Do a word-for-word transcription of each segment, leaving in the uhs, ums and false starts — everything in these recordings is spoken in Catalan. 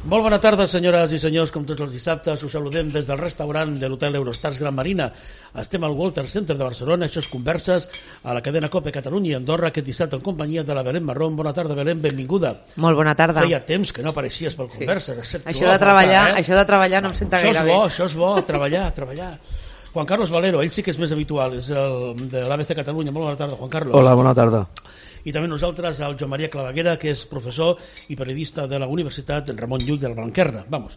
Molt bona tarda, senyores i senyors, com tots els dissabtes. Us saludem des del restaurant de l'Hotel Eurostars Gran Marina. Estem al Walter Center de Barcelona. Això és Converses a la cadena COPE Catalunya i Andorra, aquest dissabte en companyia de la Belén Marrón. Bona tarda, Belén, benvinguda. Molt bona tarda. Feia temps que no apareixies pel sí. Converses. Això de, treballar, eh? això de treballar no em senta això gaire és bo, bé. Això és bo, treballar, treballar. Juan Carlos Valero, ell sí que és més habitual, és el de l'A B C Catalunya. Molt bona tarda, Juan Carlos. Hola, bona tarda. I també nosaltres, el Joan Maria Claveguera, que és professor i periodista de la Universitat Ramon Llull de la Blanquerna. Vamos.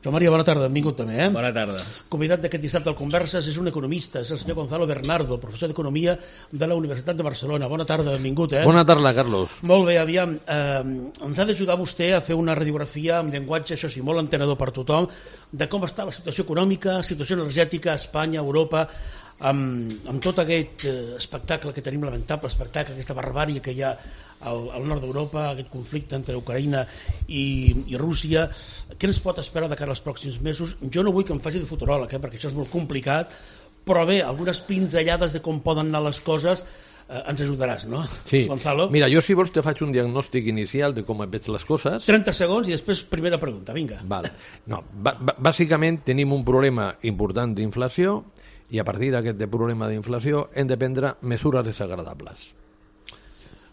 Joan Maria, bona tarda, benvingut també. Eh? Bona tarda. Convidat d'aquest dissabte al Converses és un economista, és el senyor Gonzalo Bernardo, professor d'Economia de la Universitat de Barcelona. Bona tarda, benvingut. Eh? Bona tarda, Carlos. Molt bé, aviam, eh, ens ha d'ajudar vostè a fer una radiografia amb llenguatge, això sí, molt entenedor per tothom, de com està la situació econòmica, situació energètica a Espanya, a Europa, amb, amb tot aquest eh, espectacle que tenim, lamentable espectacle, aquesta barbària que hi ha al, al nord d'Europa, aquest conflicte entre Ucraïna i, i Rússia. Què ens pot esperar de cara als pròxims mesos? Jo no vull que em faci de futuròleg, eh, perquè això és molt complicat, però bé, algunes pinzellades de com poden anar les coses eh, ens ajudaràs, no? Sí. Gonzalo? Mira, jo si vols te faig un diagnòstic inicial de com veig les coses. trenta segons i després primera pregunta, vinga. Vale. No, bàsicament tenim un problema important d'inflació i a partir d'aquest problema d'inflació hem de prendre mesures desagradables.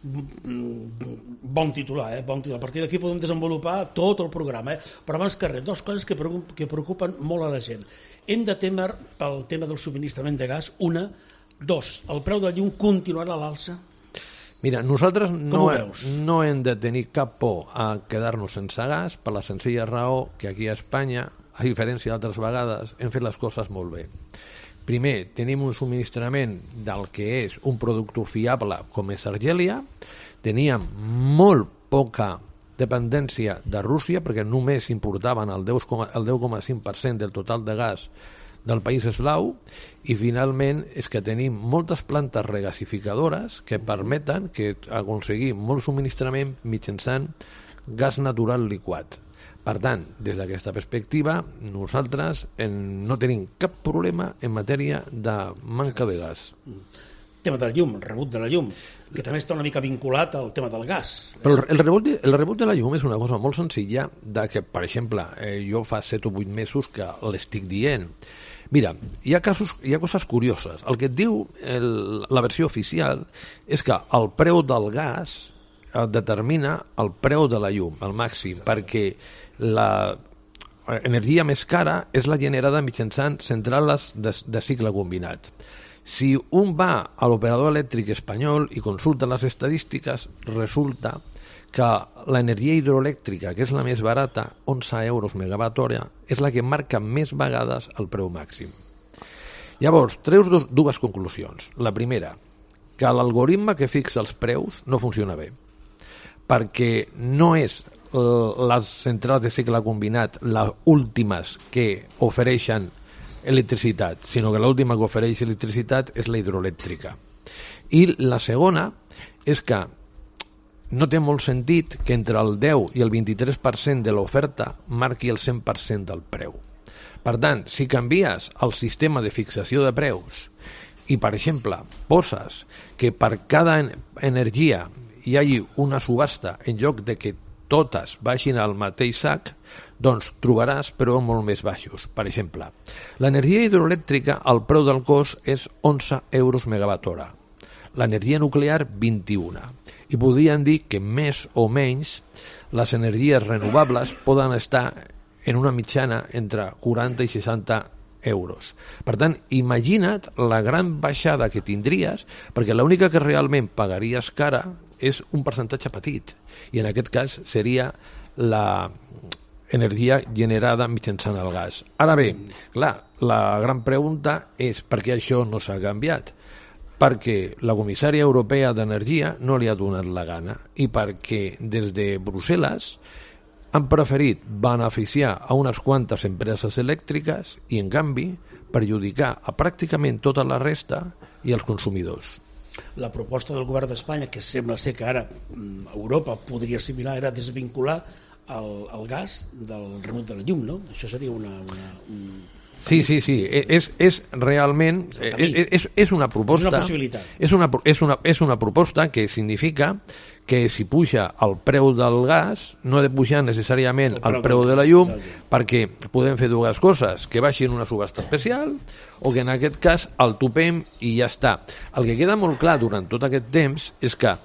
Bon titular, eh? Bon titular. A partir d'aquí podem desenvolupar tot el programa, eh? Però abans que res, dues coses que, que preocupen molt a la gent. Hem de temer pel tema del subministrament de gas, una. Dos, el preu de la llum continuarà a l'alça? Mira, nosaltres no, no hem de tenir cap por a quedar-nos sense gas per la senzilla raó que aquí a Espanya, a diferència d'altres vegades, hem fet les coses molt bé. Primer, tenim un subministrament del que és un producte fiable com és Argèlia, teníem molt poca dependència de Rússia perquè només importaven el deu coma cinc per cent del total de gas del país eslau i finalment és que tenim moltes plantes regasificadores que permeten que aconseguir molt subministrament mitjançant gas natural liquat. Per tant, des d'aquesta perspectiva, nosaltres no tenim cap problema en matèria de manca de gas. Tema de la llum, el rebut de la llum, que també està una mica vinculat al tema del gas. Però el rebut de, el rebut de la llum és una cosa molt senzilla de que, per exemple, eh, jo fa set o vuit mesos que l'estic dient. Mira, hi ha, casos, hi ha coses curioses. El que et diu el, la versió oficial és que el preu del gas determina el preu de la llum, el màxim, perquè la energia més cara és la generada mitjançant centrales de, de cicle combinat. Si un va a l'operador elèctric espanyol i consulta les estadístiques, resulta que l'energia hidroelèctrica, que és la més barata, onze euros megawatt hora, és la que marca més vegades el preu màxim. Llavors, treus dos, dues conclusions. La primera, que l'algoritme que fixa els preus no funciona bé, perquè no és les centrals de cicle combinat les últimes que ofereixen electricitat, sinó que l'última que ofereix electricitat és la hidroelèctrica. I la segona és que no té molt sentit que entre el deu i el vint-i-tres per cent de l'oferta marqui el cent per cent del preu. Per tant, si canvies el sistema de fixació de preus i, per exemple, poses que per cada energia hi hagi una subhasta en lloc de que totes vagin al mateix sac, doncs trobaràs preus molt més baixos. Per exemple, l'energia hidroelèctrica, el preu del cost és onze euros megawatt hora. L'energia nuclear, vint-i-un. I podríem dir que més o menys les energies renovables poden estar en una mitjana entre quaranta i seixanta euros. Per tant, imagina't la gran baixada que tindries, perquè l'única que realment pagaries cara és un percentatge petit, i en aquest cas seria la energia generada mitjançant el gas. Ara bé, clar, la gran pregunta és per què això no s'ha canviat? Perquè la comissària europea d'Energia no li ha donat la gana i perquè des de Brussel·les han preferit beneficiar a unes quantes empreses elèctriques i, en canvi, perjudicar a pràcticament tota la resta i als consumidors. La proposta del govern d'Espanya, que sembla ser que ara Europa podria assimilar, era desvincular el, el gas del rebut de la llum, no? Això seria una... una un... Sí, sí, sí, és, és realment, és, és, és una proposta... És una possibilitat. És una, és, una, és una proposta que significa que si puja el preu del gas no ha de pujar necessàriament el preu de la llum, perquè podem fer dues coses, que baixi en una subhasta especial o que en aquest cas el topem i ja està. El que queda molt clar durant tot aquest temps és que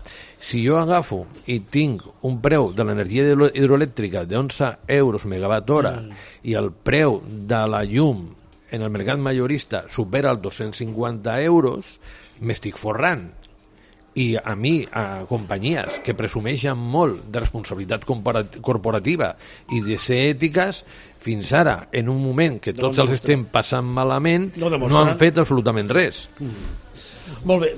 si jo agafo i tinc un preu de l'energia hidroelèctrica d'onze euros megawatt hora mm. i el preu de la llum en el mercat majorista supera els dos-cents cinquanta euros, m'estic forrant. I a mi, a companyies que presumeixen molt de responsabilitat corporativa i de ser ètiques, fins ara, en un moment que tots no els estem passant malament, no, no han fet absolutament res. Mm. Molt bé,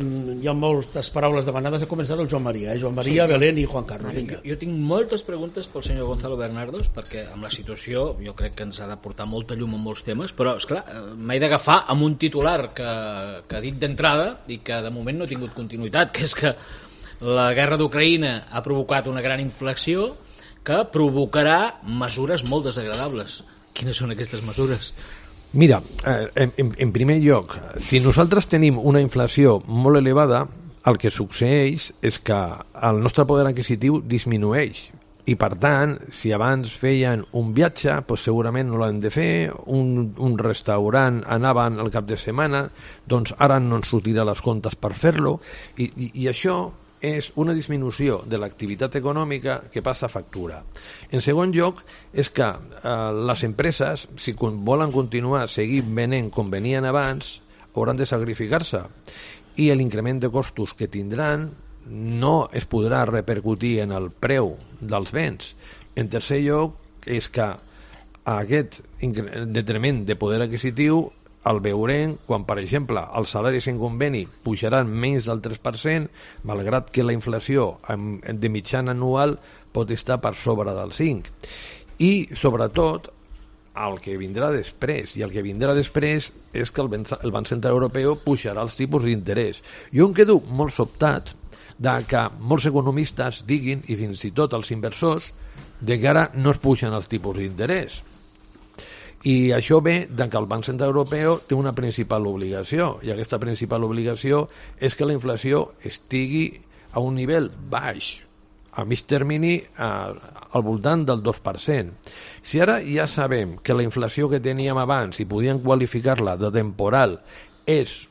hi ha moltes paraules demanades. Ha començat el Joan Maria, eh? Joan Maria, sí. Belén i Juan Carlos. Jo, jo tinc moltes preguntes pel senyor Gonzalo Bernardos, perquè amb la situació jo crec que ens ha de portar molta llum en molts temes, però, esclar, m'he d'agafar amb un titular que, que ha dit d'entrada i que de moment no ha tingut continuïtat, que és que la guerra d'Ucraïna ha provocat una gran inflació que provocarà mesures molt desagradables. Quines són aquestes mesures? Mira, en, en, en primer lloc, si nosaltres tenim una inflació molt elevada, el que succeeix és que el nostre poder adquisitiu disminueix. I per tant, si abans feien un viatge, doncs segurament no l'han de fer, un, un restaurant anaven al cap de setmana, doncs ara no ens sortirà les comptes per fer-lo, i, i, i això és una disminució de l'activitat econòmica que passa factura. En segon lloc, és que eh, les empreses, si volen continuar seguint venent com venien abans, hauran de sacrificar-se. I l'increment de costos que tindran no es podrà repercutir en el preu dels béns. En tercer lloc, és que aquest detriment de poder adquisitiu el veurem quan, per exemple, els salaris en conveni pujaran menys del tres per cent, malgrat que la inflació de mitjana anual pot estar per sobre del cinc. I, sobretot, el que vindrà després, i el que vindrà després és que el Banc Central Europeu pujarà els tipus d'interès. Jo em quedo molt sobtat de que molts economistes diguin, i fins i tot els inversors, de que ara no es pugen els tipus d'interès. I això ve de que el Banc Central Europeu té una principal obligació, i aquesta principal obligació és que la inflació estigui a un nivell baix, a mig termini a, al voltant del dos per cent. Si ara ja sabem que la inflació que teníem abans, i podíem qualificar-la de temporal, és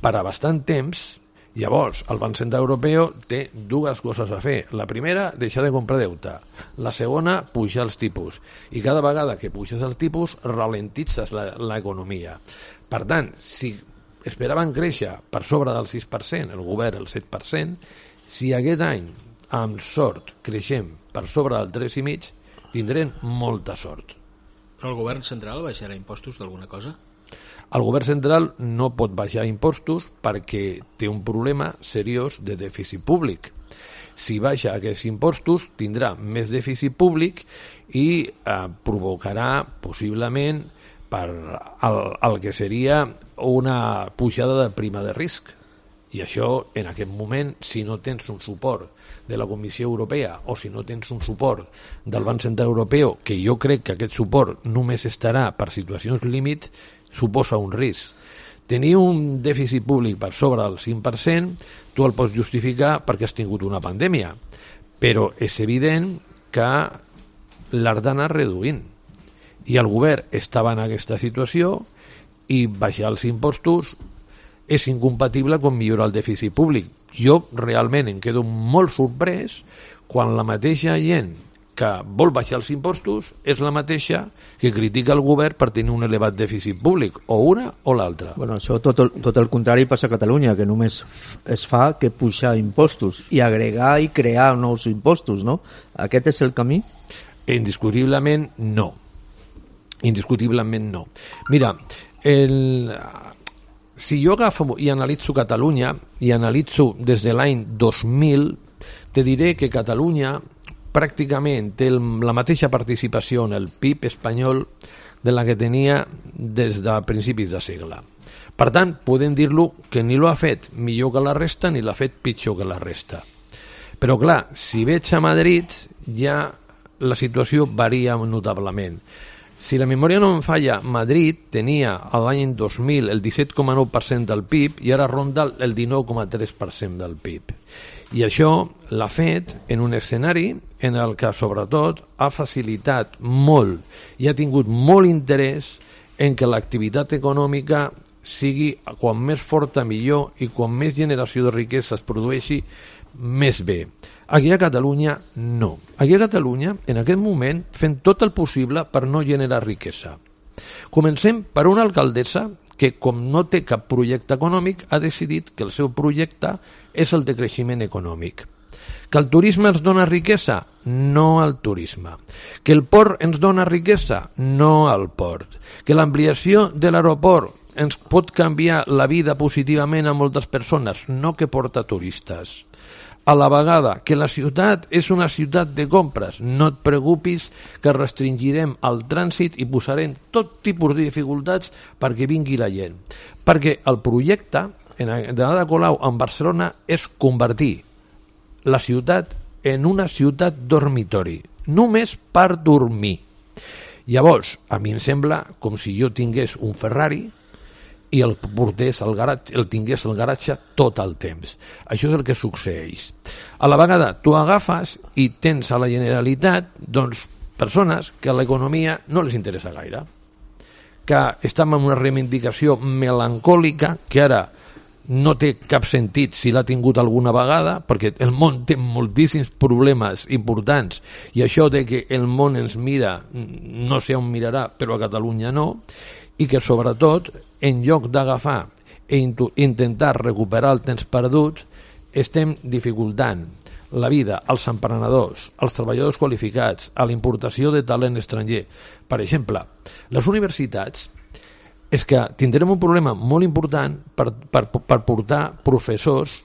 per a bastant temps, llavors el Banc Central Europeu té dues coses a fer. La primera, deixar de comprar deute. La segona, pujar els tipus. I cada vegada que puges els tipus, ralentitzes l'economia. Per tant, si esperaven créixer per sobre del sis per cent, el govern el set per cent, si aquest any, amb sort, creixem per sobre del tres coma cinc, tindrem molta sort. Però el govern central baixarà impostos d'alguna cosa? El govern central no pot baixar impostos perquè té un problema seriós de dèficit públic. Si baixa aquests impostos, tindrà més dèficit públic i eh, provocarà possiblement per el, el que seria una pujada de prima de risc. I això, en aquest moment, si no tens un suport de la Comissió Europea o si no tens un suport del Banc Central Europeu, que jo crec que aquest suport només estarà per situacions límit, suposa un risc. Tenir un dèficit públic per sobre del cinc per cent, tu el pots justificar perquè has tingut una pandèmia, però és evident que l'has d'anar reduint. I el govern estava en aquesta situació i baixar els impostos és incompatible amb millorar el dèficit públic. Jo realment em quedo molt sorprès quan la mateixa gent que vol baixar els impostos és la mateixa que critica el govern per tenir un elevat dèficit públic, o una o l'altra. Bueno, això tot el, tot el contrari passa a Catalunya, que només es fa que pujar impostos i agregar i crear nous impostos, no? Aquest és el camí? Indiscutiblement no. Indiscutiblement no. Mira, el... si jo agafo i analitzo Catalunya, i analitzo des de l'any dos mil, te diré que Catalunya pràcticament té la mateixa participació en el P I B espanyol de la que tenia des de principis de segle. Per tant, podem dir-lo que ni l'ha fet millor que la resta ni l'ha fet pitjor que la resta. Però clar, si veig a Madrid ja la situació varia notablement. Si la memòria no em falla, Madrid tenia a l'any dos mil el disset coma nou per cent del P I B i ara ronda el dinou coma tres per cent del P I B. I això l'ha fet en un escenari en el que, sobretot, ha facilitat molt i ha tingut molt interès en que l'activitat econòmica sigui quan més forta millor i quan més generació de riquesa es produeixi més bé. Aquí a Catalunya no. Aquí a Catalunya, en aquest moment, fem tot el possible per no generar riquesa. Comencem per una alcaldessa que, com no té cap projecte econòmic, ha decidit que el seu projecte és el de creixement econòmic. Que el turisme ens dona riquesa? No al turisme. Que el port ens dona riquesa? No al port. Que l'ampliació de l'aeroport ens pot canviar la vida positivament a moltes persones? No, que porta turistes. A la vegada, que la ciutat és una ciutat de compres. No et preocupis que restringirem el trànsit i posarem tot tipus de dificultats perquè vingui la gent. Perquè el projecte de Ada Colau en Barcelona és convertir la ciutat en una ciutat dormitori, només per dormir. Llavors, a mi em sembla com si jo tingués un Ferrari i el portés al garatge, el tingués al garatge tot el temps. Això és el que succeeix. A la vegada, tu agafes i tens a la Generalitat doncs, persones que a l'economia no les interessa gaire, que estan en una reivindicació melancòlica que ara no té cap sentit si l'ha tingut alguna vegada, perquè el món té moltíssims problemes importants i això de que el món ens mira, no sé on mirarà, però a Catalunya no, i que sobretot, en lloc d'agafar i intentar recuperar el temps perdut, estem dificultant la vida als emprenedors, als treballadors qualificats, a la importació de talent estranger. Per exemple, les universitats és que tindrem un problema molt important per, per, per portar professors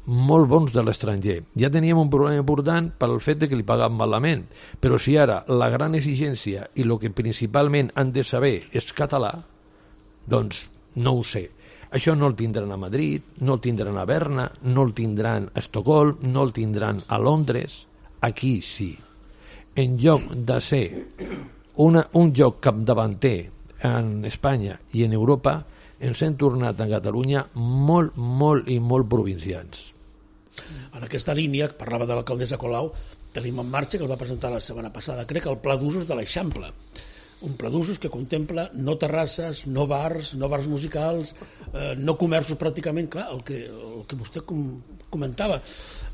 molt bons de l'estranger. Ja teníem un problema important pel fet de que li pagaven malament, però si ara la gran exigència i el que principalment han de saber és català, doncs no ho sé. Això no el tindran a Madrid, no el tindran a Berna, no el tindran a Estocolm, no el tindran a Londres. Aquí sí. En lloc de ser una, un lloc capdavanter en Espanya i en Europa, ens hem tornat a Catalunya molt, molt i molt provincians. En aquesta línia, parlava de l'alcaldessa Colau, tenim en marxa, que el va presentar la setmana passada, crec, el pla d'usos de l'Eixample. Un pla d'usos que contempla no terrasses, no bars, no bars musicals, eh, no comerços pràcticament, clar, el que, el que vostè com, comentava.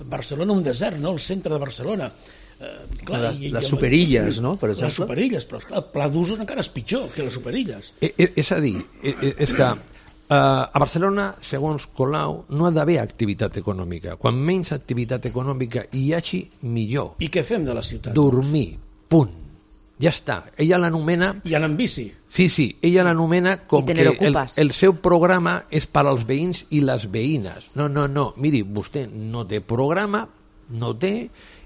Barcelona un desert, no? El centre de Barcelona. Eh, clar, les, i, les i, superilles, no? Per exemple. Les superilles, però clar, el pla d'usos encara és pitjor que les superilles. Eh, eh, és a dir, eh, és que Uh, a Barcelona, segons Colau, no ha d'haver activitat econòmica. Quan menys activitat econòmica hi hagi, millor. I què fem de la ciutat? Dormir, punt. Ja està. Ella l'anomena... I anar amb bici. Sí, sí, ella l'anomena com que el, el seu programa és per als veïns i les veïnes. No, no, no. Miri, vostè no té programa, no té,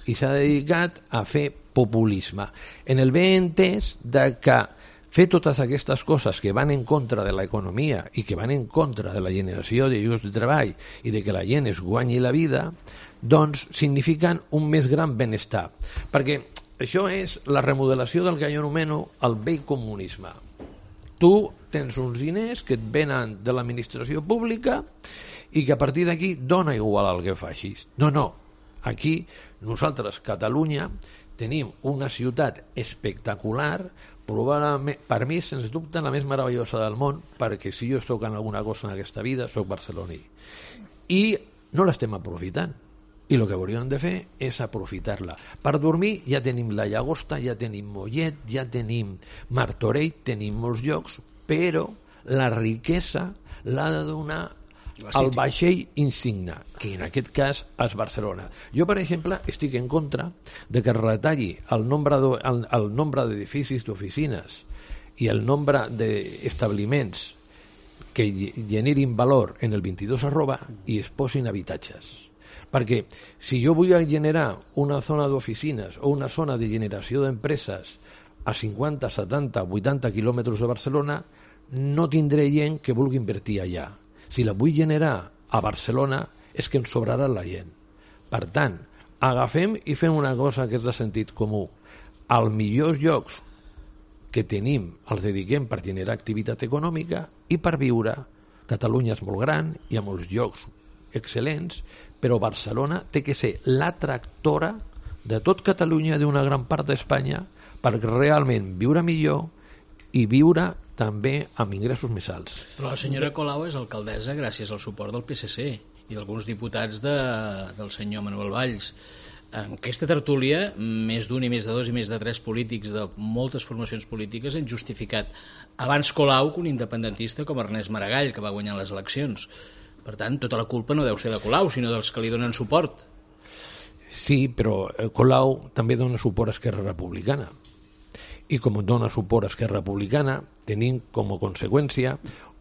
i s'ha dedicat a fer populisme. En el bé entès de que fer totes aquestes coses que van en contra de l'economia i que van en contra de la generació de llocs de treball i de que la gent es guanyi la vida, doncs signifiquen un més gran benestar. Perquè això és la remodelació del que jo anomeno el vell comunisme. Tu tens uns diners que et venen de l'administració pública i que a partir d'aquí dona igual el que facis. No, no. Aquí, nosaltres, Catalunya, tenim una ciutat espectacular, probablement, per mi, sens dubte, la més meravellosa del món, perquè si jo soc en alguna cosa en aquesta vida, soc barceloní. I no l'estem aprofitant. I el que hauríem de fer és aprofitar-la. Per dormir ja tenim la Llagosta, ja tenim Mollet, ja tenim Martorell, tenim molts llocs, però la riquesa l'ha de donar el vaixell insigne, que en aquest cas és Barcelona. Jo, per exemple, estic en contra de que es retalli el nombre, de, el, el nombre d'edificis d'oficines i el nombre d'establiments que generin valor en el vint-i-dos arroba i es posin habitatges. Perquè si jo vull generar una zona d'oficines o una zona de generació d'empreses a cinquanta, setanta, vuitanta quilòmetres de Barcelona, no tindré gent que vulgui invertir allà. Si la vull generar a Barcelona és que ens sobrarà la gent. Per tant, agafem i fem una cosa que és de sentit comú. Als millors llocs que tenim els dediquem per generar activitat econòmica i per viure. Catalunya és molt gran, hi ha molts llocs excel·lents, però Barcelona té que ser la tractora de tot Catalunya, d'una gran part d'Espanya, per realment viure millor i viure també amb ingressos més alts. Però la senyora Colau és alcaldessa gràcies al suport del P S C i d'alguns diputats de, del senyor Manuel Valls. En aquesta tertúlia, més d'un i més de dos i més de tres polítics de moltes formacions polítiques han justificat abans Colau que un independentista com Ernest Maragall, que va guanyar les eleccions. Per tant, tota la culpa no deu ser de Colau, sinó dels que li donen suport. Sí, però Colau també dona suport a Esquerra Republicana. I com dona suport a Esquerra Republicana, tenim com a conseqüència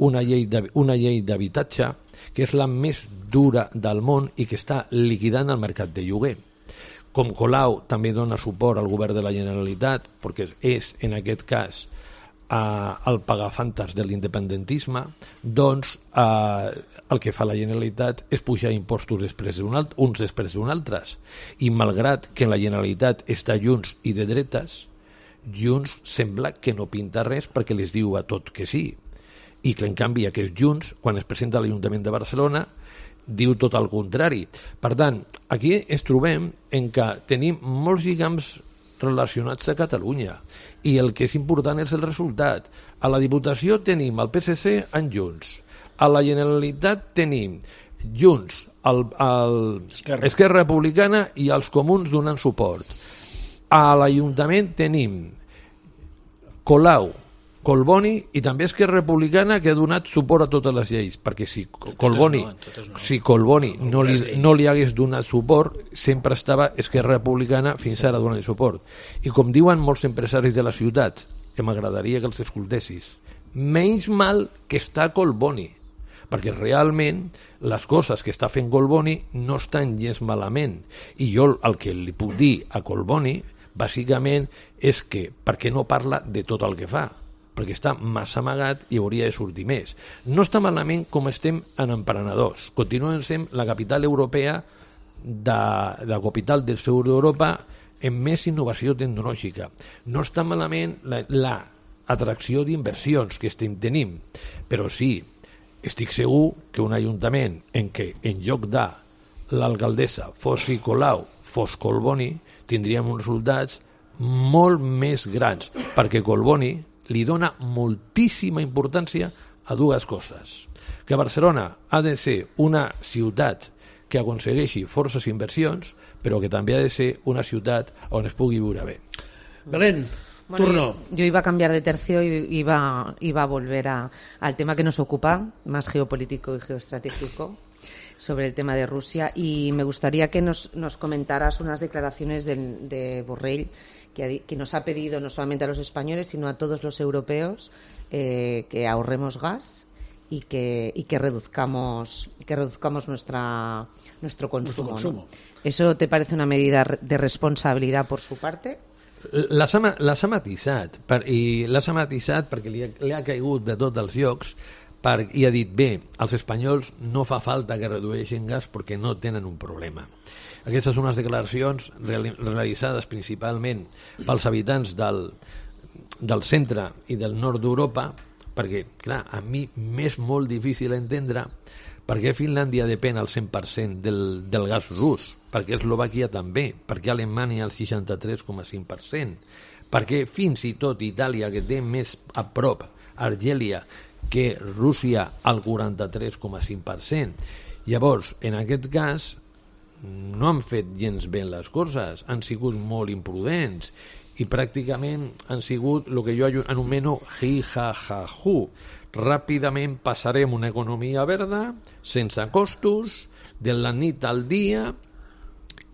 una llei de, una llei d'habitatge que és la més dura del món i que està liquidant el mercat de lloguer. Com Colau també dona suport al govern de la Generalitat, perquè és, en aquest cas, eh, el pagafantes de l'independentisme, doncs eh, el que fa la Generalitat és pujar impostos després d'un alt, uns després d'un altres. I malgrat que la Generalitat està Junts i de dretes, Junts sembla que no pinta res perquè les diu a tot que sí. I que en canvi aquest Junts, quan es presenta a l'Ajuntament de Barcelona, diu tot el contrari. Per tant, aquí ens trobem en que tenim molts lligams relacionats a Catalunya i el que és important és el resultat. A la Diputació tenim el P S C en Junts, a la Generalitat tenim Junts, el, el Esquerra. Esquerra Republicana i els Comuns donant suport. A l'Ajuntament tenim Colau, Collboni i també Esquerra Republicana, que ha donat suport a totes les lleis, perquè si Collboni no, no. si Collboni no li, no li hagués donat suport, sempre estava Esquerra Republicana fins ara donant suport. I com diuen molts empresaris de la ciutat, que m'agradaria que els escoltessis, menys mal que està Collboni, perquè realment les coses que està fent Collboni no estan gens malament. I jo el que li puc dir a Collboni, bàsicament, és que per què no parla de tot el que fa? Perquè està massa amagat i hauria de sortir més. No està malament com estem en emprenedors. Continuem sent la capital europea, de, la capital del sud d'Europa, amb més innovació tecnològica. No està malament l'atracció la d'inversions que estem tenint, però sí, estic segur que un ajuntament en què en lloc de l'alcaldessa fos Colau, fos Collboni, tindríem uns resultats molt més grans, perquè Collboni li dona moltíssima importància a dues coses. Que Barcelona ha de ser una ciutat que aconsegueixi forces inversions, però que també ha de ser una ciutat on es pugui viure bé. Belén, bueno, turno. Yo, yo iba a cambiar de tercio y iba, iba a volver a, al tema que nos ocupa, más geopolítico y geoestratégico, sobre el tema de Rusia, y me gustaría que nos, nos comentaras unas declaraciones de, de Borrell, que, que nos ha pedido no solamente a los españoles, sino a todos los europeos eh, que ahorremos gas y que, y que reduzcamos, que reduzcamos nuestra, nuestro consumo. Nuestro consumo. ¿No? ¿Eso te parece una medida de responsabilidad por su parte? Les ha, les ha matisat, per, i les ha matisat perquè li ha, li ha caigut de tots els llocs per, i ha dit, bé, als espanyols no fa falta que redueixin gas perquè no tenen un problema. Aquestes són unes declaracions realitzades principalment pels habitants del, del centre i del nord d'Europa, perquè, clar, a mi m'és molt difícil entendre per què Finlàndia depèn al cent per cent del, del gas rus, per què Eslovàquia també, per què Alemanya al seixanta-tres coma cinc per cent, per què fins i tot Itàlia, que té més a prop Argèlia que Rússia al quaranta-tres coma cinc per cent. Llavors, en aquest cas, no han fet gens bé les coses, han sigut molt imprudents i pràcticament han sigut el que jo anomeno hi-ha-ha-hu. Ràpidament passarem una economia verda, sense costos, de la nit al dia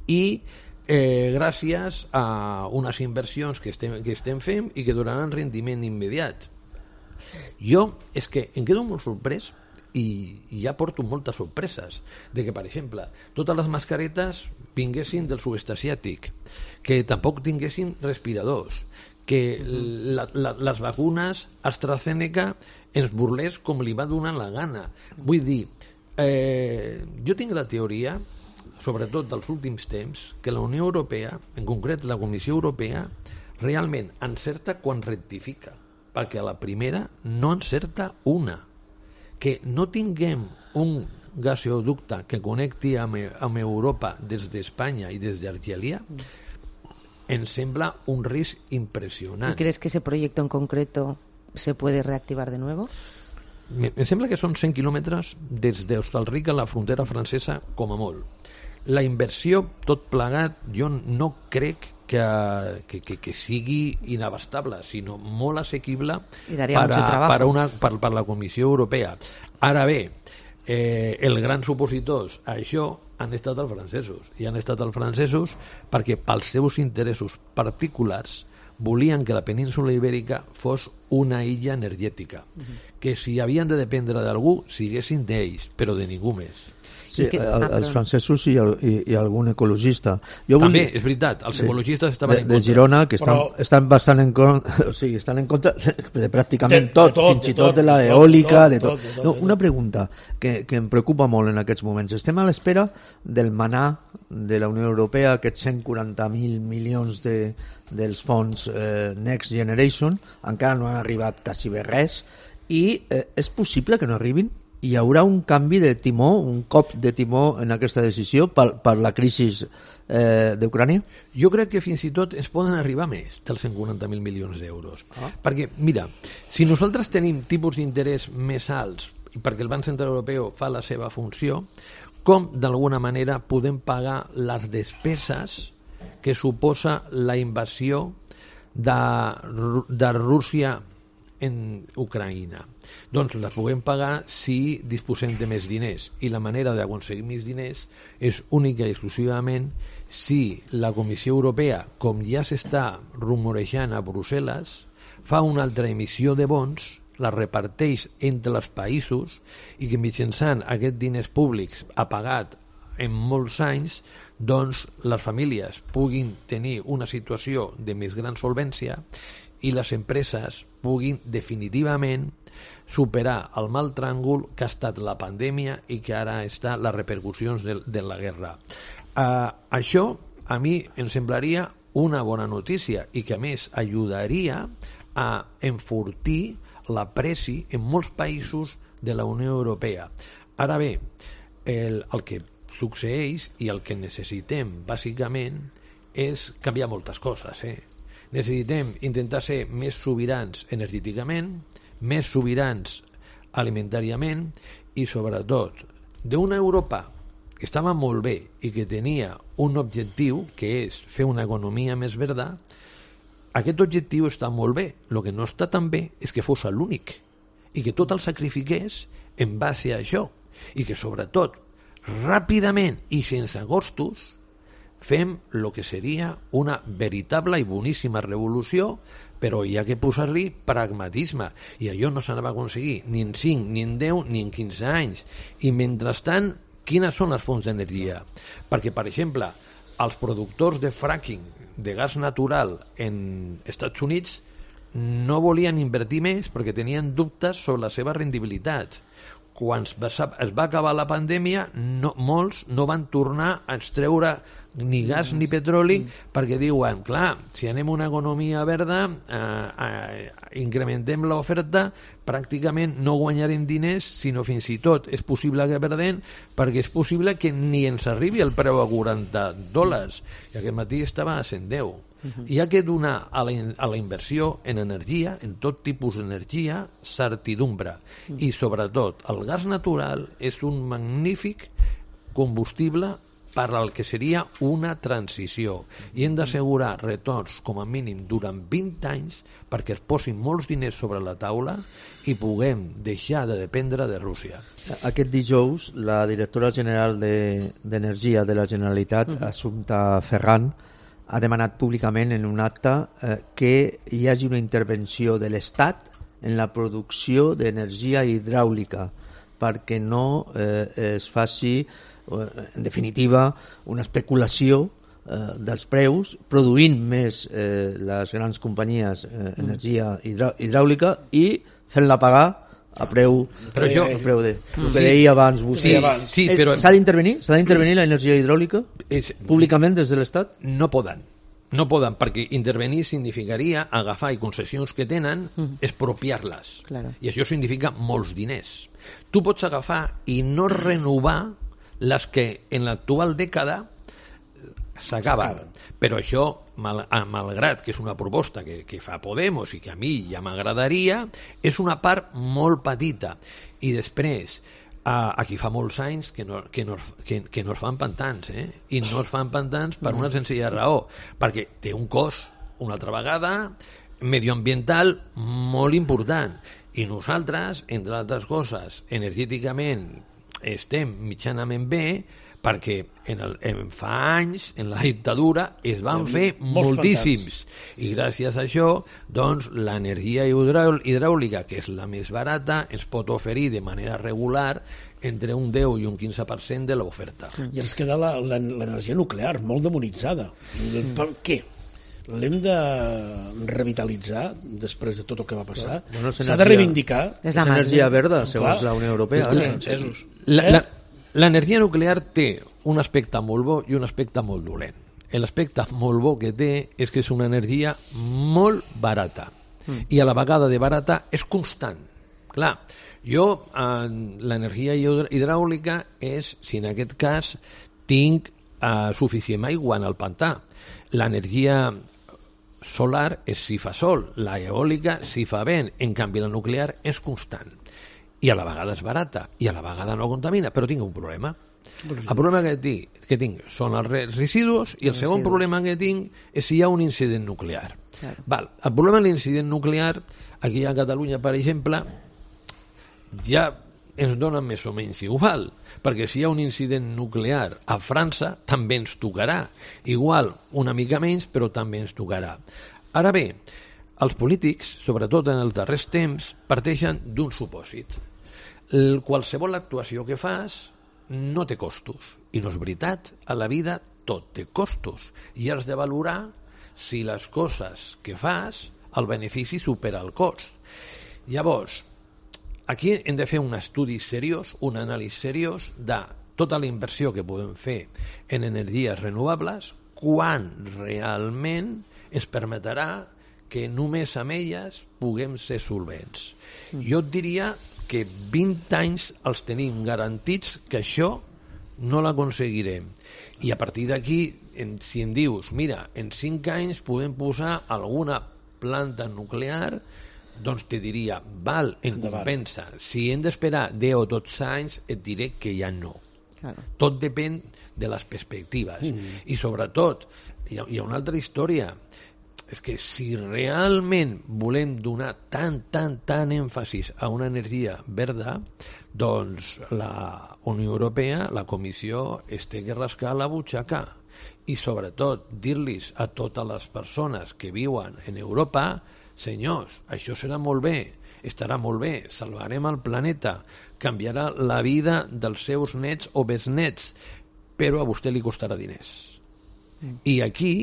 i eh, gràcies a unes inversions que estem, que estem fent i que donaran rendiment immediat. Jo és que em quedo molt sorprès i, i ja porto moltes sorpreses de que, per exemple, totes les mascaretes vinguessin del sud-est asiàtic, que tampoc tinguessin respiradors, que la, la, les vacunes AstraZeneca ens burlés com li va donar la gana. Vull dir, eh, jo tinc la teoria, sobretot dels últims temps, que la Unió Europea, en concret la Comissió Europea, realment encerta quan rectifica, perquè a la primera no encerta una. Que no tinguem un gasoducte que connecti amb, amb Europa des d'Espanya i des d'Argelia, em sembla un risc impressionant. ¿Y crees que ese proyecto en concreto se puede reactivar de nuevo? Me, me sembla que són cent quilòmetres des d'Hostalric a la frontera francesa com a molt. La inversió, tot plegat, jo no crec que, que, que, que sigui inabastable, sinó molt assequible per a, per, a una, per, per la Comissió Europea. Ara bé, eh, els grans opositors a això han estat els francesos, i han estat els francesos perquè pels seus interessos particulars volien que la península ibèrica fos una illa energètica, uh-huh. que si havien de dependre d'algú, siguessin d'ells, però de ningú més. Sí, que, el, els francesos i, el, i, i algun ecologista. Jo També, volia... és veritat, els sí, ecologistes estaven de, en contra. De Girona, que estan, Però... estan bastant en contra, o sigui, estan en contra de pràcticament de, tot, de tot, fins i de tot tot, de la de eòlica, tot, de tot. tot, de tot, No, de tot. una pregunta que, que em preocupa molt en aquests moments. Estem a l'espera del manà de la Unió Europea, aquests cent quaranta mil milions de, dels fons eh, Next Generation, encara no han arribat quasi bé res, i eh, és possible que no arribin? Hi haurà un canvi de timó, un cop de timó en aquesta decisió per, per la crisi eh, d'Ucrània? Jo crec que fins i tot es poden arribar més dels cent quaranta mil milions d'euros. Ah. Perquè, mira, si nosaltres tenim tipus d'interès més alts, i perquè el Banc Central Europeu fa la seva funció, com d'alguna manera podem pagar les despeses que suposa la invasió de, de Rússia en Ucraïna? Doncs les puguem pagar si disposem de més diners, i la manera d'aconseguir més diners és única i exclusivament si la Comissió Europea, com ja s'està rumorejant a Brussel·les, fa una altra emissió de bons, la reparteix entre els països, i que mitjançant aquests diners públics apagat en molts anys, doncs les famílies puguin tenir una situació de més gran solvència i les empreses puguin definitivament superar el mal tràngol que ha estat la pandèmia i que ara està les repercussions de, de la guerra. Uh, això a mi em semblaria una bona notícia i que a més ajudaria a enfortir la presi en molts països de la Unió Europea. Ara bé, el, el que succeeix i el que necessitem bàsicament és canviar moltes coses, eh? Necessitem intentar ser més sobirans energèticament, més sobirans alimentàriament i, sobretot, d'una Europa que estava molt bé i que tenia un objectiu, que és fer una economia més verda. Aquest objectiu està molt bé. El que no està tan bé és que fos l'únic i que tot el sacrifiqués en base a això i que, sobretot, ràpidament i sense costos fem el que seria una veritable i boníssima revolució, però hi ha que posar-li pragmatisme, i allò no s'anava a aconseguir ni en cinc, ni en deu, ni en quinze anys. I mentrestant, quines són les fonts d'energia? Perquè, per exemple, els productors de fracking, de gas natural en Estats Units, no volien invertir més perquè tenien dubtes sobre la seva rendibilitat. Quan es va acabar la pandèmia, no, molts no van tornar a extreure ni gas ni petroli perquè diuen, clar, si anem a una economia verda, eh, eh, incrementem l'oferta, pràcticament no guanyarem diners, sinó fins i tot és possible que perdem, perquè és possible que ni ens arribi el preu a quaranta dòlars, i aquest matí estava a cent deu. Uh-huh. Hi ha que donar a la, a la inversió en energia, en tot tipus d'energia, certidumbre. Uh-huh. I sobretot, el gas natural és un magnífic combustible per al que seria una transició, i hem d'assegurar retorns com a mínim durant vint anys perquè es posin molts diners sobre la taula i puguem deixar de dependre de Rússia. Aquest dijous la directora general d'Energia de, de la Generalitat, uh-huh. Assumpta Ferran, ha demanat públicament en un acte eh, que hi hagi una intervenció de l'Estat en la producció d'energia hidràulica perquè no eh, es faci, en definitiva, una especulació eh, dels preus, produint més eh, les grans companyies eh, energia hidrà hidràulica i fent-la pagar a preu, però jo, a preu de... El que deia abans vostè. Sí, sí, però... S'ha d'intervenir? S'ha d'intervenir la energia hidràulica és, públicament des de l'Estat? No poden. No poden, perquè intervenir significaria agafar i concessions que tenen, mm. expropiar-les. Claro. I això significa molts diners. Tu pots agafar i no renovar les que en l'actual dècada s'acaben. Però això, mal, malgrat que és una proposta que, que fa Podemos i que a mi ja m'agradaria, és una part molt petita. I després, Uh, aquí fa molts anys que no, que, no, que, que no es fan pantans, eh? I no es fan pantans per una senzilla raó, perquè té un cost, una altra vegada, medioambiental molt important. I nosaltres, entre altres coses, energèticament estem mitjanament bé, perquè en, el, en fa anys, en la dictadura, es van fer moltíssims. I gràcies a això, doncs, l'energia hidràulica, que és la més barata, ens pot oferir de manera regular entre un deu i un quinze per cent de l'oferta. I ens queda l'energia nuclear, molt demonitzada. Mm. Per què? L'hem de revitalitzar després de tot el que va passar? Bueno, s'ha de reivindicar. És, és energia verda, segons la Unió Europea. Sí. La, la, L'energia nuclear té un aspecte molt bo i un aspecte molt dolent. L'aspecte molt bo que té és que és una energia molt barata mm. i a la vegada de barata és constant. Clar, jo, eh, l'energia hidràulica és, si en aquest cas tinc eh, suficient aigua en el pantà. L'energia solar és si fa sol, la eòlica si fa vent, en canvi la nuclear és constant. I a la vegada és barata, i a la vegada no contamina, però tinc un problema. El problema que tinc, que tinc són els residus, i el segon problema que tinc és si hi ha un incident nuclear. Claro. Val. El problema de l'incident nuclear, aquí a Catalunya, per exemple, ja ens dona més o menys igual, perquè si hi ha un incident nuclear a França, també ens tocarà. Igual, una mica menys, però també ens tocarà. Ara bé, els polítics, sobretot en els darrers temps, parteixen d'un supòsit. El, qualsevol actuació que fas no té costos. I no és veritat. A la vida tot té costos. I has de valorar si les coses que fas, el benefici supera el cost. Llavors, aquí hem de fer un estudi seriós, un anàlisi seriós de tota la inversió que podem fer en energies renovables, quan realment es permetrà que només amb elles puguem ser solvents. Mm. Jo et diria que vint anys els tenim garantits que això no l'aconseguirem. I a partir d'aquí, si em dius, mira, en cinc anys podem posar alguna planta nuclear, doncs te diria, val, em compensa. Si hem d'esperar deu o dotze anys, et diré que ja no. Claro. Tot depèn de les perspectives. Mm. I sobretot, hi ha, hi ha una altra història. És que si realment volem donar tant, tant, tant èmfasis a una energia verda, doncs la Unió Europea, la Comissió, es té que rascar la butxaca. I sobretot dir-los a totes les persones que viuen en Europa, senyors, això serà molt bé, estarà molt bé, salvarem el planeta, canviarà la vida dels seus nets o besnets, però a vostè li costarà diners. Mm. I aquí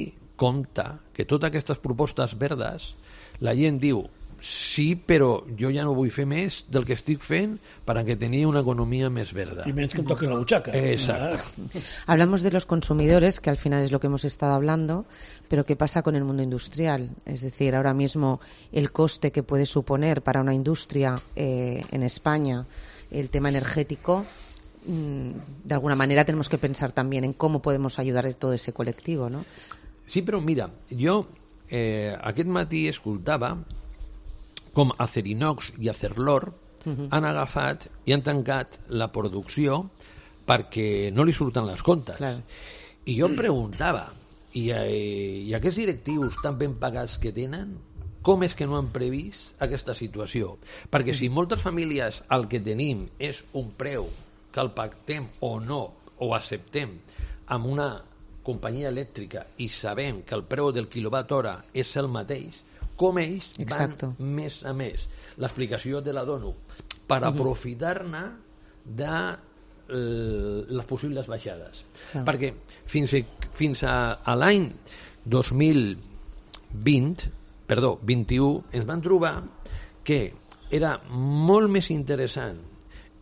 compta que totes aquestes propostes verdes, la gent diu, sí, però jo ja no vull fer més del que estic fent para que tenir una economía más verda. Y menos que me toque la buchaca. Exacto. Ah. Hablamos de los consumidores, que al final es lo que hemos estado hablando, pero ¿qué pasa con el mundo industrial? Es decir, ahora mismo el coste que puede suponer para una industria eh, en España el tema energético, de alguna manera tenemos que pensar también en cómo podemos ayudar a todo ese colectivo, ¿no? Sí, però mira, jo eh, aquest matí escoltava com Acerinox i Acerlor uh-huh. han agafat i han tancat la producció perquè no li surten les comptes. Claro. I jo em preguntava, i, eh, i aquests directius tan ben pagats que tenen, com és que no han previst aquesta situació? Perquè si moltes famílies el que tenim és un preu que el pactem o no, o acceptem amb una companyia elèctrica i sabem que el preu del quilowatt hora és el mateix, com ells Exacto. van més a més. L'explicació te la dono per uh-huh. aprofitar-ne de eh, les possibles baixades. Uh-huh. Perquè fins, a, fins a, a l'any dos mil vint, perdó, vint-i-u, ens van trobar que era molt més interessant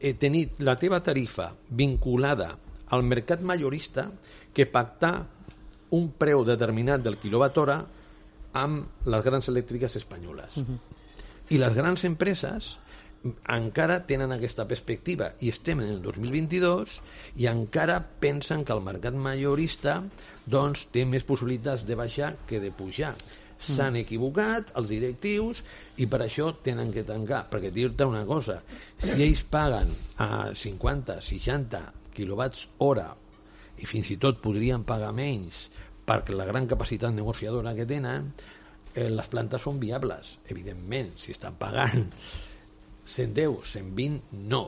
eh, tenir la teva tarifa vinculada al mercat majorista que pactar un preu determinat del quilowatt hora amb les grans elèctriques espanyoles. Uh-huh. I les grans empreses encara tenen aquesta perspectiva i estem en el dos mil vint-i-dos i encara pensen que el mercat majorista doncs, té més possibilitats de baixar que de pujar. S'han equivocat els directius i per això tenen que tancar, perquè dir-te una cosa, si ells paguen a cinquanta, seixanta quilowatts hora i fins i tot podrien pagar menys perquè la gran capacitat negociadora que tenen, eh, les plantes són viables, evidentment, si estan pagant cent deu, cent vint, no.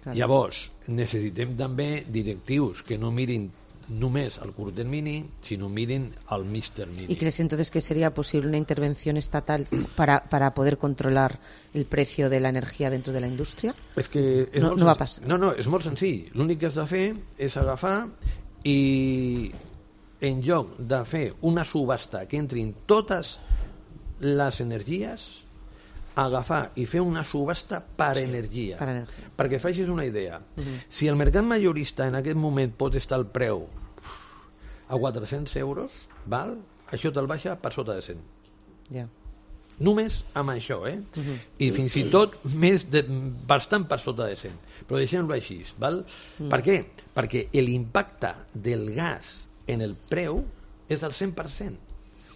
Claro. Llavors, necessitem també directius que no mirin només al curt termini, sino miren al mig termini. ¿Y crees entonces que sería posible una intervención estatal para, para poder controlar el precio de la energía dentro de la industria? És que és no, molt no va passar. No, no, és molt senzill. L'únic que has de fer és agafar i en lloc de fer una subhasta que entrin totes les energies, agafar i fer una subhasta per sí, energia. Per energia. Perquè facis una idea. Uh-huh. Si el mercat majorista en aquest moment pot estar al preu a quatre-cents euros, val? Això te'l baixa per sota de cent. Ja. Yeah. Només amb això, eh? Uh-huh. I fins i tot més de, bastant per sota de cent. Però deixem-lo així, val? Uh-huh. Per què? Perquè l'impacte del gas en el preu és del cent per cent.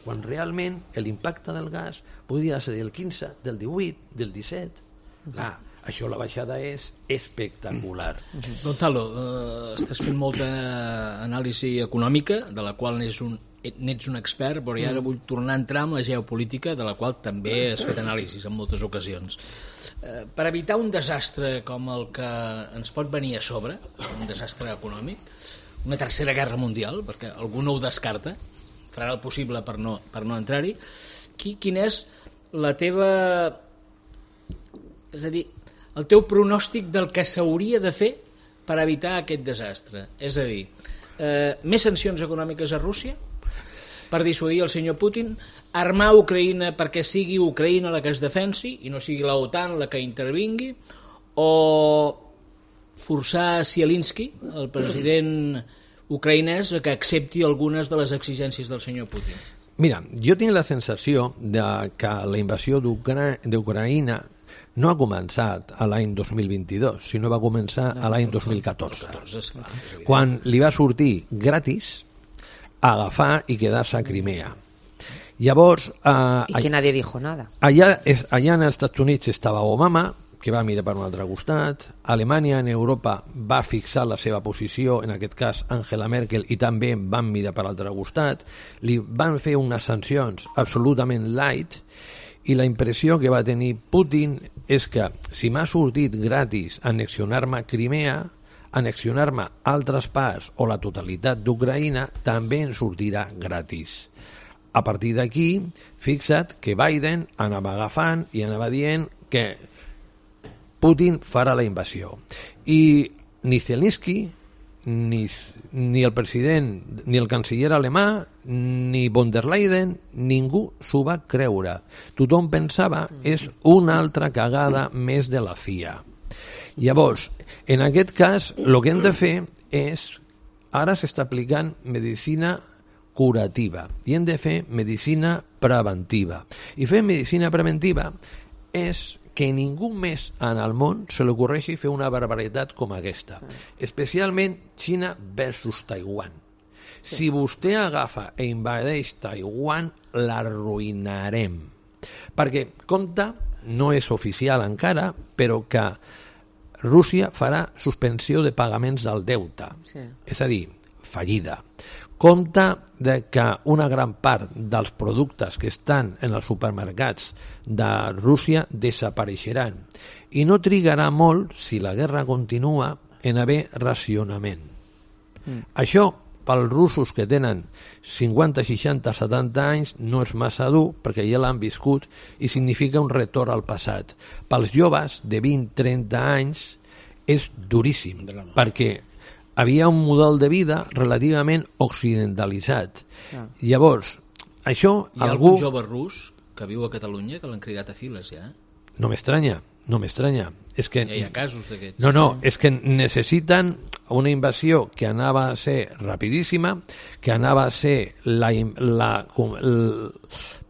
Quan realment l'impacte del gas podria ser del quinze, del divuit, del disset. Clar, això la baixada és espectacular. Uh-huh. Gonzalo, eh, estàs fent molta anàlisi econòmica, de la qual n'ets un, n'ets un expert, però ara vull tornar a entrar en la geopolítica, de la qual també has fet anàlisis en moltes ocasions. Eh, per evitar un desastre com el que ens pot venir a sobre, un desastre econòmic, una tercera guerra mundial, perquè algú no ho descarta, farà el possible per no, per no entrar-hi. Qui, quin és la teva... És a dir, el teu pronòstic del que s'hauria de fer per evitar aquest desastre? És a dir, eh, més sancions econòmiques a Rússia per dissuadir el senyor Putin, armar Ucraïna perquè sigui Ucraïna la que es defensi i no sigui la OTAN la que intervingui, o forçar Zelensky, el president ucraïnès, que accepti algunes de les exigències del senyor Putin? Mira, jo tinc la sensació de que la invasió d'Ucraïna no ha començat a l'any dos mil vint-i-dos, sinó va començar a l'any dos mil catorze, quan li va sortir gratis agafar i quedar-se a Crimea. Llavors... Eh, I que nadie dijo nada. Allà, allà als Estats Units estava Obama, que va mirar per un altre costat. Alemanya en Europa va fixar la seva posició, en aquest cas Angela Merkel, i també van mirar per l'altre costat. Li van fer unes sancions absolutament light i la impressió que va tenir Putin és que si m'ha sortit gratis annexionar-me Crimea, annexionar-me altres parts o la totalitat d'Ucraïna també en sortirà gratis. A partir d'aquí, fixa't que Biden anava agafant i anava dient que Putin farà la invasió. I ni Zelensky, ni, ni el president, ni el canceller alemà, ni von der Leyen, ningú s'ho va creure. Tothom pensava és una altra cagada més de la C I A. Llavors, en aquest cas, el que hem de fer és, ara s'està aplicant medicina curativa i hem de fer medicina preventiva. I fer medicina preventiva és que ningú més en el món se li ocorreixi fer una barbaritat com aquesta, especialment Xina versus Taiwan. Sí. Si vostè agafa i invadeix Taiwan, l'arruïnarem. Perquè, compte, no és oficial encara, però que Rússia farà suspensió de pagaments del deute. Sí. És a dir, fallida. Compte de que una gran part dels productes que estan en els supermercats de Rússia desapareixeran i no trigarà molt, si la guerra continua, en haver racionament. Mm. Això, pels russos que tenen cinquanta, seixanta, setanta anys, no és massa dur perquè ja l'han viscut i significa un retorn al passat. Pels joves de vint, trenta anys és duríssim perquè havia un model de vida relativament occidentalitzat. Ah. Llavors, això... Hi ha algú... algun jove rus que viu a Catalunya que l'han cridat a files, ja? no m'estranya, no m'estranya. És que, ja hi ha casos d'aquests. No, no, és que necessiten una invasió que anava a ser rapidíssima, que anava a ser la, la,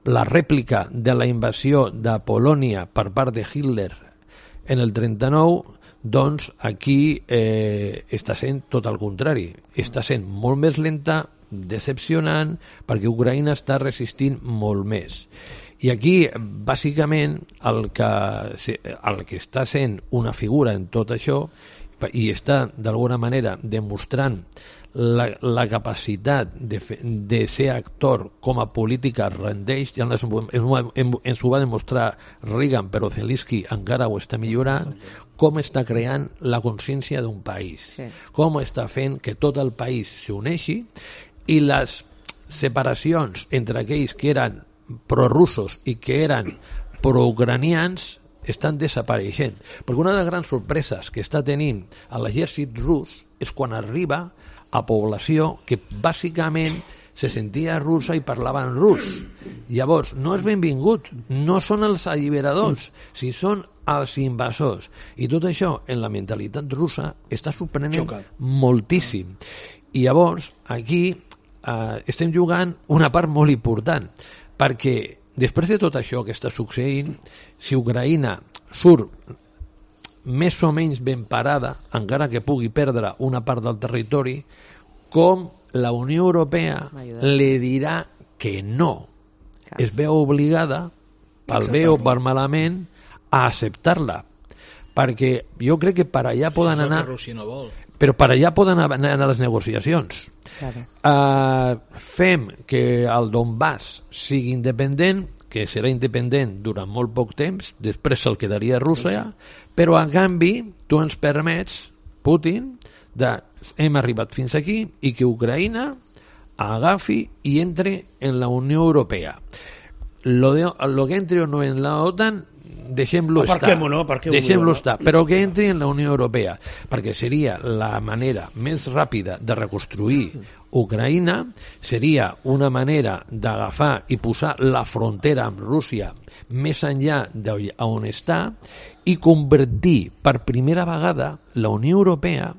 la rèplica de la invasió de Polònia per part de Hitler en el trenta-nou, doncs aquí eh, està sent tot el contrari. Està sent molt més lenta, decepcionant, perquè Ucraïna està resistint molt més. I aquí, bàsicament, el que, el que està sent una figura en tot això i està, d'alguna manera, demostrant la, la capacitat de, fe, de ser actor com a política rendeix, ja ens, ens, ens ho va demostrar Reagan, però Zelensky encara ho està millorant, com està creant la consciència d'un país, sí. Com està fent que tot el país s'uneixi i les separacions entre aquells que eren prorussos i que eren proucranians estan desapareixent. Perquè una de les grans sorpreses que està tenint l'exèrcit rus és quan arriba a població que bàsicament se sentia russa i parlaven rus. Llavors, no és benvingut, no són els alliberadors, si són els invasors. I tot això, en la mentalitat russa, està sorprenent Xoca. moltíssim. I llavors, aquí eh, estem jugant una part molt important, perquè després de tot això que està succeint, si Ucraïna surt més o menys ben parada, encara que pugui perdre una part del territori, com la Unió Europea li dirà que no. Clar. Es veu obligada, pel bé o per malament, a acceptar-la. Perquè jo crec que per allà poden anar... Rússia no vol. Però per allà poden anar a les negociacions. Claro. Uh, fem que el Donbass sigui independent, que serà independent durant molt poc temps, després se'l quedaria a Rússia, però a canvi tu ens permets, Putin, de hem arribat fins aquí i que Ucraïna agafi i entre en la Unió Europea. Lo, de, lo que entri o no en la OTAN deixem-lo estar, no? deixem-lo estar, però que entri en la Unió Europea, perquè seria la manera més ràpida de reconstruir Ucraïna, seria una manera d'agafar i posar la frontera amb Rússia més enllà d'on està i convertir per primera vegada la Unió Europea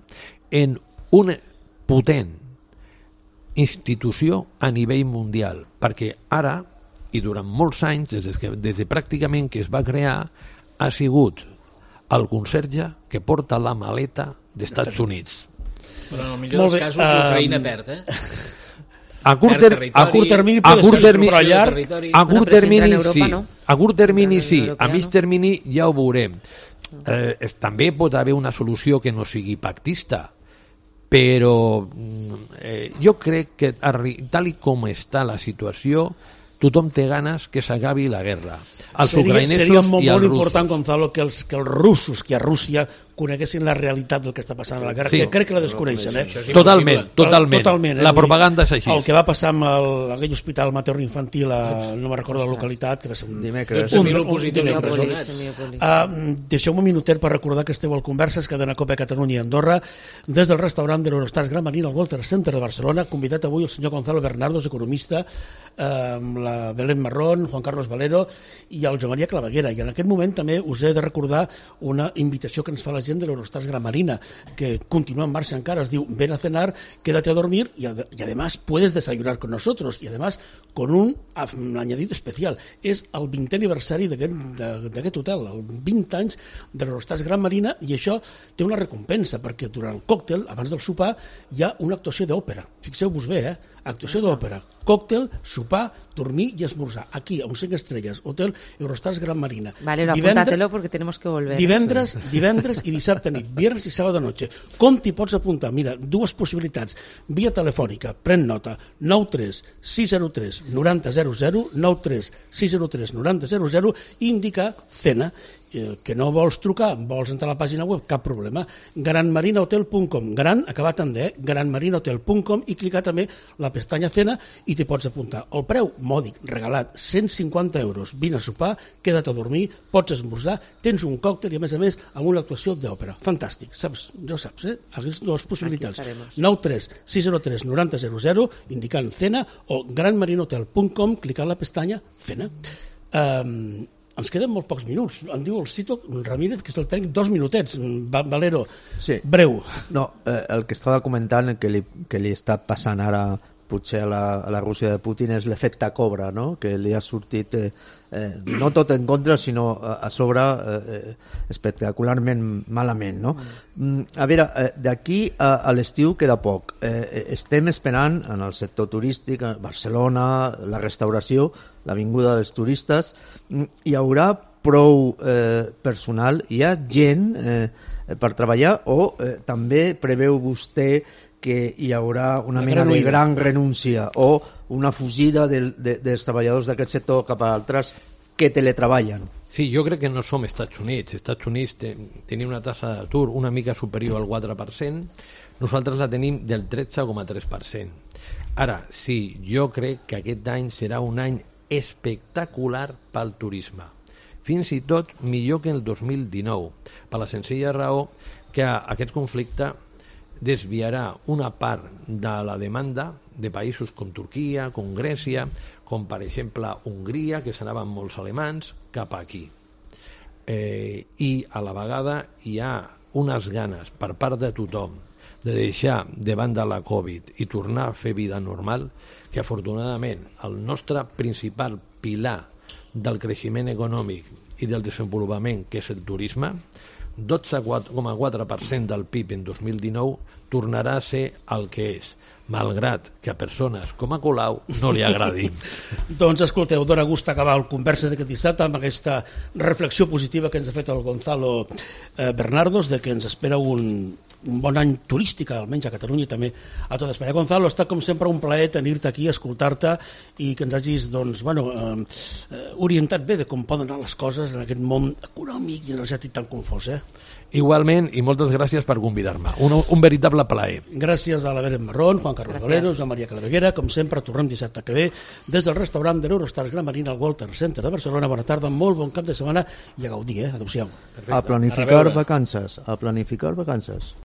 en una potent institució a nivell mundial, perquè ara i durant molts anys, des de, des de pràcticament que es va crear, ha sigut el conserge que porta la maleta d'Estats Units. Però en el millor dels casos uh, l'Ucraïna perd, eh? A curt, ter a curt termini a curt termini a curt termini sí, a curt termini sí, a mig termini ja ho veurem. Eh, també pot haver una solució que no sigui pactista, però eh, jo crec que tal i com està la situació tothom té ganes que s'acabi la guerra. Els seria, ucraïnesos seria molt, i els molt russos. important, Gonzalo, que els, que els russos, que a Rússia coneguessin la realitat del que està passant a la guerra, sí. que crec que la desconeixen. Eh? Totalment, totalment. totalment eh? La propaganda és així. El que va passar amb el, aquell hospital materno infantil, a, no me'n recordo la localitat, que va ser un... Dimecres. dotze mil opositors empresonats. Uh, Deixeu-me un minutet per recordar que esteu al Converses, cadena Cope Catalunya i Andorra, des del restaurant de l'Eurostars Gran Marina al Walter Center de Barcelona, convidat avui el senyor Gonzalo Bernardos, economista, uh, amb la Belén Marrón, Juan Carlos Valero i el Joan Maria Claveguera. I en aquest moment també us he de recordar una invitació que ens fa la gent de l'Eurostars Gran Marina, que continúa en marcha encara, es diu ven a cenar, quédate a dormir y, ad y además puedes desayunar con nosotros y además con un añadido especial. És el vintè aniversari d'aquest hotel, el vint anys de l'Eurostars Gran Marina, i això té una recompensa, perquè durant el còctel, abans del sopar, hi ha una actuació d'òpera. Fixeu-vos bé, eh? Actuació d'òpera, còctel, sopar, dormir i esmorzar. Aquí, a un cinc estrelles, Hotel Eurostars Gran Marina. Vale, apúntatelo porque tenemos que volver. Divendres, divendres i dissabte nit, viernes i sábado noche. Com t'hi pots apuntar? Mira, dues possibilitats. Via telefònica, pren nota, nou tres sis zero tres noranta zero zero, nou tres sis zero tres noranta zero zero, i indicar cena. Que no vols trucar, vols entrar a la pàgina web, cap problema. gran marina hotel punt com, gran, acabat en D, gran marina hotel punt com, i clicar també la pestanya cena i t'hi pots apuntar. El preu mòdic, regalat, cent cinquanta euros. Vine a sopar, queda't a dormir, pots esmorzar, tens un còctel i a més a més amb una actuació d'òpera. Fantàstic, saps? Ja ho saps, eh? Aquestes dues possibilitats. nou tres sis zero tres noranta zero zero, indicant cena, o gran marina hotel punt com, clicant la pestanya cena. Um, ens queden molt pocs minuts. Em diu el Cito Ramírez que és el tècnic dos minutets. Va, Valero, Sí. breu. No, eh, el que estava comentant que li, que li està passant ara potser a la, a la Rússia de Putin és l'efecte cobra, no? Que li ha sortit eh, eh, no tot en contra sinó a, a sobre eh, espectacularment malament, no? Mm, a veure, eh, d'aquí a, a l'estiu queda poc. Eh, estem esperant en el sector turístic, a Barcelona, la restauració, la vinguda dels turistes, mm, hi haurà prou eh, personal, hi ha gent eh, per treballar o eh, també preveu vostè que hi haurà una La mena gran de oïda. gran renúncia o una fugida del, de, dels treballadors d'aquest sector cap a altres que teletreballen? Sí, jo crec que no som Estats Units. Estats Units te, tenia una tassa d'atur una mica superior al quatre per cent, nosaltres la tenim del tretze coma tres per cent. Ara, sí, jo crec que aquest any serà un any espectacular pel turisme. Fins i tot millor que el dos mil dinou, per la senzilla raó que aquest conflicte desviarà una part de la demanda de països com Turquia, com Grècia, com per exemple Hongria, que s'anaven molts alemans, cap aquí. Eh, I a la vegada hi ha unes ganes per part de tothom de deixar de banda la Covid i tornar a fer vida normal, que afortunadament el nostre principal pilar del creixement econòmic i del desenvolupament, que és el turisme, dotze coma quatre per cent del P I B en dos mil dinou tornarà a ser el que és, malgrat que a persones com a Colau no li agradi. Doncs escolteu, dona gust acabar el conversa d'aquest dissabte amb aquesta reflexió positiva que ens ha fet el Gonzalo eh, Bernardos, de que ens espera un, un bon any turístic, almenys a Catalunya i també a tota Espanya. Gonzalo, ha estat com sempre un plaer tenir-te aquí, escoltar-te i que ens hagis doncs, bueno, eh, orientat bé de com poden anar les coses en aquest món econòmic i energètic tan confós. Eh? Igualment, i moltes gràcies per convidar-me. Un, un veritable plaer. Gràcies a la Beren Marrón, Juan Carlos Valero, Joan Maria Claveguera. Com sempre, tornem dissabte que ve des del restaurant de l'Eurostars Gran Marina al Walter Center de Barcelona. Bona tarda, molt bon cap de setmana i a gaudir, eh? Adéu-siau. A planificar vacances, a planificar vacances.